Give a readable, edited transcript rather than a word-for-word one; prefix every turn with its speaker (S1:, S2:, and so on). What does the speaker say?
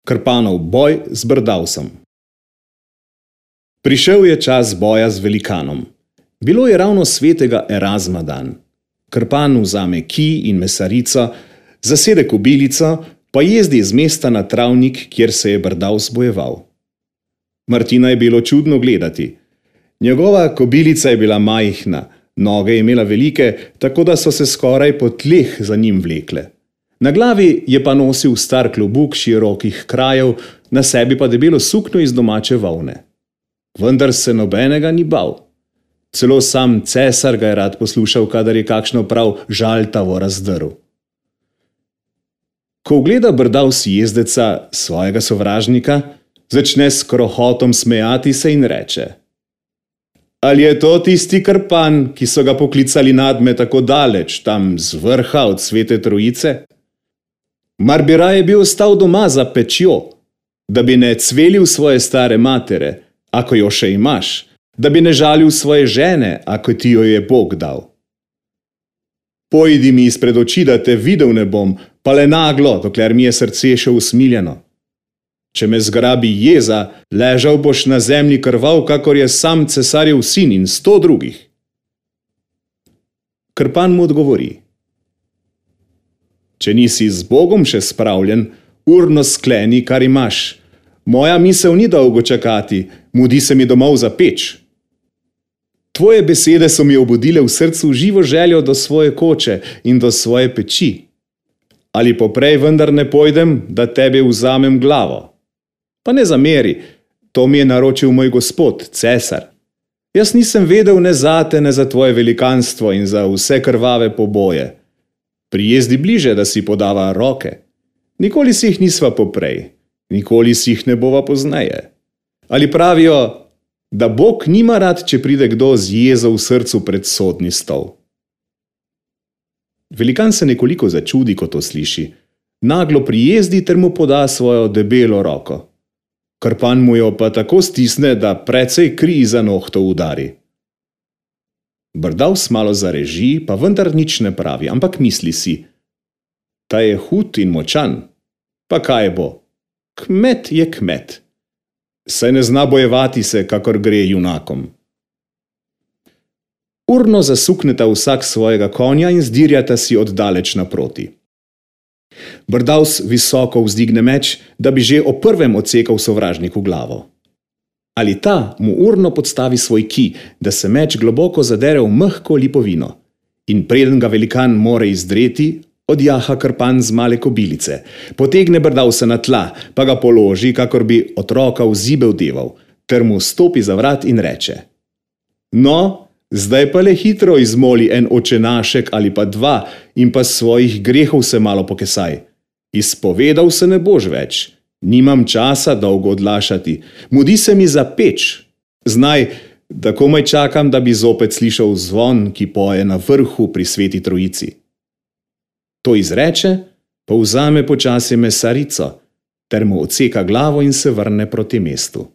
S1: Krpanov boj z Brdavsom. Prišel je čas boja z velikanom. Bilo je ravno svetega Erazma dan. Krpan vzame kij in mesarico, zasede kobilico, pa jezdi iz mesta na travnik, kjer se je Brdavs bojeval. Martina je bilo čudno gledati. Njegova kobilica je bila majhna, noge je imela velike, tako da so se skoraj po tleh za njim vlekle. Na glavi je pa nosil star klobuk širokih krajev, na sebi pa debelo sukno iz domače volne. Vendar se nobenega ni bal. Celo sam cesar ga je rad poslušal, kadar je kakšno prav žaltavo razdrl. Ko ugleda Brdavs jezdeca, svojega sovražnika, začne s krohotom smejati se in reče: Ali je to tisti Krpan, ki so ga poklicali nadme tako daleč, tam z vrha od Svete Trojice? Mar bi raje bil ostal doma za pečjo, da bi ne cvelil svoje stare matere, ako jo še imaš, da bi ne žalil svoje žene, ako ti jo je Bog dal. Pojdi mi izpred oči, da te videl ne bom, pa le naglo, dokler mi je srce še usmiljeno. Če me zgrabi jeza, ležal boš na zemlji krvav, kakor je sam cesarjev sin in 100 drugih. Krpan mu odgovori: Če nisi z Bogom še spravljen, urno skleni, kar imaš. Moja misel ni dolgo čakati, mudi se mi domov za peč. Tvoje besede so mi obudile v srcu živo željo do svoje koče in do svoje peči. Ali poprej vendar ne pojdem, da tebe vzamem glavo? Pa ne zameri, to mi je naročil moj gospod, cesar. Jaz nisem vedel ne zate, ne za tvoje velikanstvo in za vse krvave poboje. Prijezdi bliže, da si podava roke. Nikoli si jih nisva poprej, nikoli si jih ne bova pozneje. Ali pravijo, da Bog nima rad, če pride kdo z jezo v srcu pred sodni stol. Velikan se nekoliko začudi, ko to sliši. Naglo prijezdi ter mu poda svojo debelo roko. Krpan mu jo pa tako stisne, da precej kri za nohtov udari. Brdavs malo zareži, pa vendar nič ne pravi, ampak misli si: Ta je hud in močan. Pa kaj bo? Kmet je kmet. Saj ne zna bojevati se, kakor gre junakom. Urno zasukneta vsak svojega konja in zdirjata si oddaleč naproti. Brdavs visoko vzdigne meč, da bi že o prvem odsekal sovražniku glavo. Ali ta mu urno podstavi svoj kij, da se meč globoko zadere v mehko lipovino. In preden ga velikan more izdreti, odjaha Krpan z male kobilice, potegne Brdavsa na tla, pa ga položi, kakor bi otroka v zibel deval, ter mu stopi za vrat in reče: No, zdaj pa le hitro izmoli en očenašek ali pa 2 in pa svojih grehov se malo pokesaj. Izpovedal se ne boš več. Nimam časa dolgo odlašati. Mudi se mi za peč. Znaj, da komaj čakam, da bi zopet slišal zvon, ki poje na vrhu pri Sveti Trojici. To izreče, pa vzame počasi mesarico, ter mu odseka glavo in se vrne proti mestu.